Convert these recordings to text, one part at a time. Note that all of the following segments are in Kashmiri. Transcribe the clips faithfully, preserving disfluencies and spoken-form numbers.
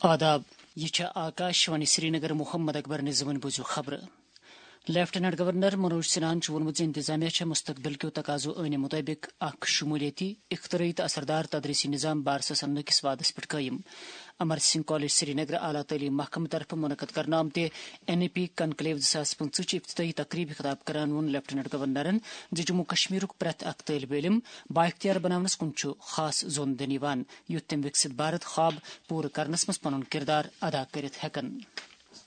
آداب، یہ چھےٚ آکاش وانی سرینگر۔ محمد اکبر نظامن بوزو خبرٕ۔ لیفٹیننٹ گورنر منوج سنہاہن چھُ ووٚنمُت زِ انتظامیہ چھےٚ مستقبل کیو تقاضو عٲنہِ مُطٲبِق اکھ شمولیتی، اختراعی تہٕ اثردار تدریسی نظام بارسس اننہٕ کِس وعدس پٮ۪ٹھ قٲیِم۔ امر سنگھ کالج سرینگر اعلیٰ تعلیٖم محکمہٕ طرفہٕ منعقد کرنہٕ آمتہِ این ای پی کنکلیو زٕ ساس پٕنٛژٕہ چہِ افتتاحی تقریبہِ خطاب کران ووٚن لیفٹیننٹ گورنرن زِ جموں کشمیرُک پرٛٮ۪تھ اکھ طٲلبہِ علم بااختیار بناونس کُن چھُ خاص زوٚن دِنہٕ یِوان، یُتھ تِم وکسِت بھارت خواب پوٗرٕ کرنس منٛز پنُن کردار ادا کٔرِتھ ہٮ۪کن۔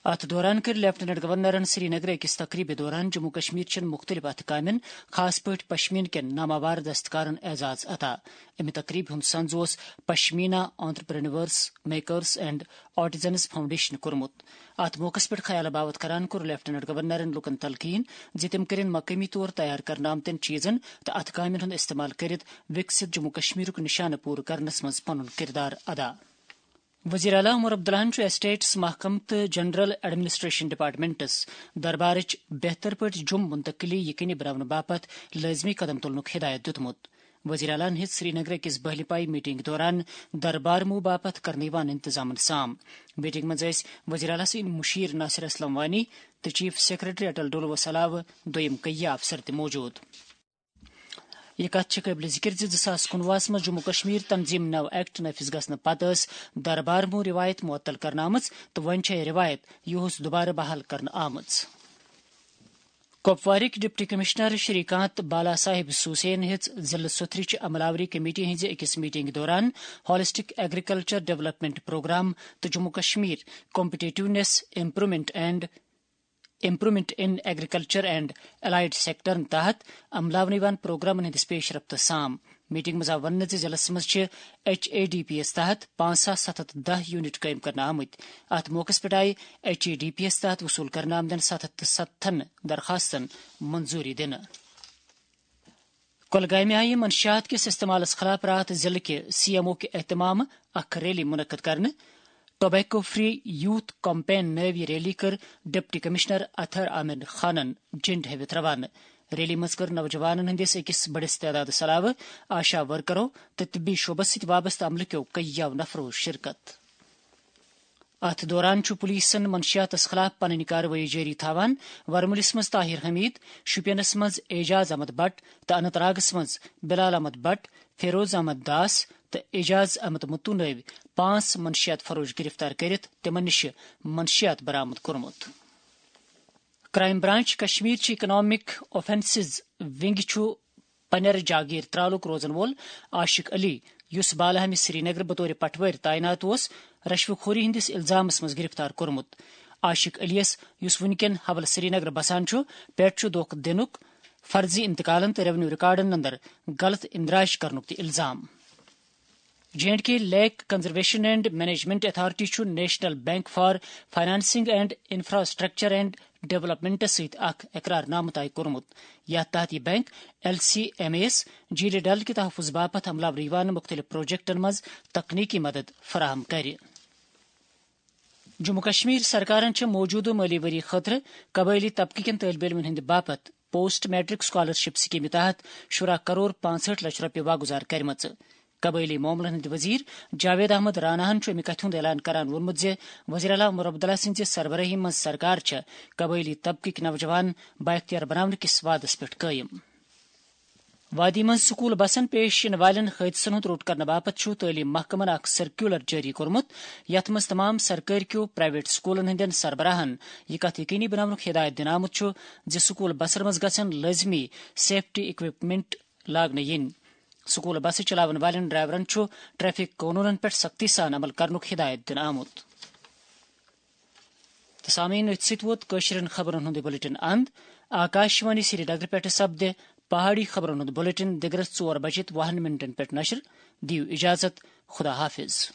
اتھ دوران کٔر لیفٹیننٹ گورنرن سرینگرٕ أکِس تقریبہِ دوران جموں کشمیر چٮ۪ن مُختٔلِف اتھٕ کامٮ۪ن، خاص پٲٹھۍ پشمیٖن کٮ۪ن ناماوار دستکارن اعزاز عطا۔ امہِ تقریبہِ ہُنٛد سنز اوس pashmina entrepreneurs, makers and artisans foundation کوٚرمُت۔ اتھ موقعس پٮ۪ٹھ خیال باوت کران کوٚر لیفٹیننٹ گورنرن لوٗکن تلقین زِ تِم کٔرِن مقٲمی طور تیار کرنہٕ آمتٮ۪ن چیزن تہٕ اتھٕ کامٮ۪ن ہُنٛد استعمال کٔرِتھ وکسِت جموں کشمیرُک نشانہٕ پوٗرٕ کرنس منٛز پنُن کردار ادا۔ وزیر اعلیٰ عمر عبداللہن چھُ اسٹیٹس محکمہٕ تہٕ جنرل ایڈمنسٹریشن ڈپارٹمنٹس دربارٕچ بہتر پٲٹھۍ جوٚم منتقلی یقینی بناونہٕ باپتھ لٲزمی قدم تُلنُک ہدایت دِیُتمُت۔ وزیر اعلیٰ ہن ہیٚژ سرینگرٕ کِس بہلہِ پاے میٹنگ دوران دربار مو باپتھ کرنہٕ یِوان انتظامن سام۔ میٹنگ منٛز ٲسۍ وزیر اعلیٰ سٕنٛدۍ مُشیر ناصر اسلم وانی تہٕ چیف سیکرٹری اٹل ڈولوس علاوٕ دوٚیِم کئی افسر تہِ موجود۔ یہِ کتھ چھِ قٲبلِ ذِکِر زِ زٕ ساس کُنوُہس منٛز جموں کشمیر تنظیم نو ایکٹ نافذ گژھنہٕ پتہٕ ٲس دربار مو رِوایت معطل کرنہٕ آمٕژ تہٕ وۄنۍ چھےٚ یہِ رِوایت یُہُس دُبارٕ بحال کرنہٕ آمٕژ۔ کپوارٕکۍ ڈپٹی کمشنر شری کانت بالا صاحب سوسین ہیٚژ ضلعہٕ سوتھرٕچ عملہ آوری کمیٹی ہٕنٛزِ أکِس میٹنگ دوران ہالسٹک ایگریکلچر ڈیولپمنٹ پروگرام تہٕ Jammu Kashmir competitiveness improvement and improvement in agriculture and allied سیکٹرن تحت عملاونہٕ یِوان پروگرامن ہٕنٛدِس پیش رفتس سام۔ میٹنگ منٛز آو وننہٕ زِ ضلعس منٛز چھِ ایچ اے ڈی پی یس تحت پانٛژھ ساس ستھ ہتھ دَہ یونٹ قٲیِم کرنہٕ آمٕتۍ۔ اتھ موقعس پٮ۪ٹھ آیہِ ایچ اے ڈی پی یس تحت وصول کرنہٕ آمدن ستھ ہتھ تہٕ ستتھن درخواستن منظوری دِنہٕ۔ کۄلگامہِ آیہِ منشیات کِس استعمالس خلاف راتھ ضلعہٕ کہِ سی ایم او کہِ اہتمام اکھ ریلی منعقد کرنہٕ۔ ٹوبیکو فری یوتھ کمپین نٲوۍ یہِ ریلی کٔر ڈپٹی کمشنر اطہر عامر خانن جنڈ ہٲوِتھ روانہٕ۔ ریلی منٛز کٔر نوجوانن ہٕنٛدِس أکِس بٔڑِس تعدادس علاوٕ آشا ورکرو تہٕ طبی شعبس سۭتۍ وابستہٕ عملہٕ کیو کٔیو نفرو شرکت۔ اتھ دوران چھُ پولیسن منشیاتس خلاف پنٕنۍ کاروٲیی جٲری تھاوان۔ ورمُلِس منٛز طاہر حمید، شوپینس منٛز اعجاز احمد بٹ تہٕ اننت ناگس منٛز بلال احمد بٹ، فیروز احمد داس تہٕ اعجاز احمد متو نٲوۍ پانٛژھ منشیات فروش گرفتار کٔرِتھ تِمن نِش منشیات برآمد کوٚرمُت۔ کرائم برانچ کشمیر چہِ اکنامک اوفینسز ونگ چھُ پنیر جاگیر ترالُک روزن وول عاشق علی، یُس بالہٕ ہامہِ سرینگر بطور پٹھوٲرۍ تعینات اوس، رشوٕ خوری ہٕنٛدِس الزامس منٛز گرفتار کوٚرمُت۔ عاشق علی یس، یُس وُنکٮ۪ن حوالہٕ سرینگر بسان چھُ، پٮ۪ٹھ چھُ دھوکہٕ دِنُک، فرضی انتقالن تہٕ ریونیو ریکارڈن اندر غلط اندراج کرنُک تہِ الزام۔ J and K lake conservation and management authority چھُ national bank for financing and infrastructure and developments سۭتۍ اکھ اقرار نامہٕ طے کوٚرمُت، یتھ تحت یہِ bank L C M S جیٖلہِ ڈل کہِ تحفظ باپتھ عملاورٕ یِوان مُختٔلِف پروجیکٹن منٛز تکنیکی مدد فراہم کرِ۔ جموں کشمیر سرکارن چھِ موجودٕ مٲلی ؤری خٲطرٕ قبٲئلی طبقہٕ کٮ۪ن طٲلبہِ علمن ہٕنٛدِ باپتھ پوسٹ میٹرک سکالرشپ سکیمہِ تحت شُراہ کرور پانٛژہٲٹھ لچھ رۄپیہِ واگُزار کٔرمٕژ۔ قبٲئلی معاملن ہٕنٛدۍ وزیر جاوید احمد راناہن چھُ اَمہِ کتھِ ہُنٛد اعلان کران ووٚنمُت زِ وزیر اعلیٰ عمر عبداللہ سٕنٛزِ سربرٲہی منٛز سرکار چھےٚ قبٲئلی طبقٕکۍ نوجوان بااختیار بناونہٕ کِس وعدس پٮ۪ٹھ قٲیِم۔ وادی منٛز سکول بسن پیش یِنہٕ والٮ۪ن حٲدثن ہُنٛد روٚٹ کرنہٕ باپتھ چھُ تعلیٖم محکمن اکھ سرکیولر جٲری کوٚرمُت، یتھ منٛز تمام سرکٲرۍ کیو پرائیویٹ سکولن ہٕنٛدٮ۪ن سربراہن یہِ کتھ یقینی بناونُک ہدایت دِنہٕ آمُت چھُ زِ سکول بسن منٛز گژھن لٲزمی سیفٹی اکوپمنٹ لاگنہٕ یِنۍ۔ سکول بسہٕ چلاون والٮ۪ن ڈرائیورن چھُ ٹریفک قونوٗنن پٮ۪ٹھ سختی سان عمل کرنُک ہدایت دِنہٕ آمُت۔ تہٕ سامعیٖن، أتھۍ سۭتۍ ووت کٲشرٮ۪ن خبرن ہُنٛد یہِ بلیٹن اند۔ آکاش وانی سرینگر پٮ۪ٹھٕ سپدِ پہاڑی خبرن ہُنٛد بلیٹن دِگرس ژور بجے تہٕ وُہن منٹن پٮ۪ٹھ نشر۔ دِیِو اجازت، خدا حافظ۔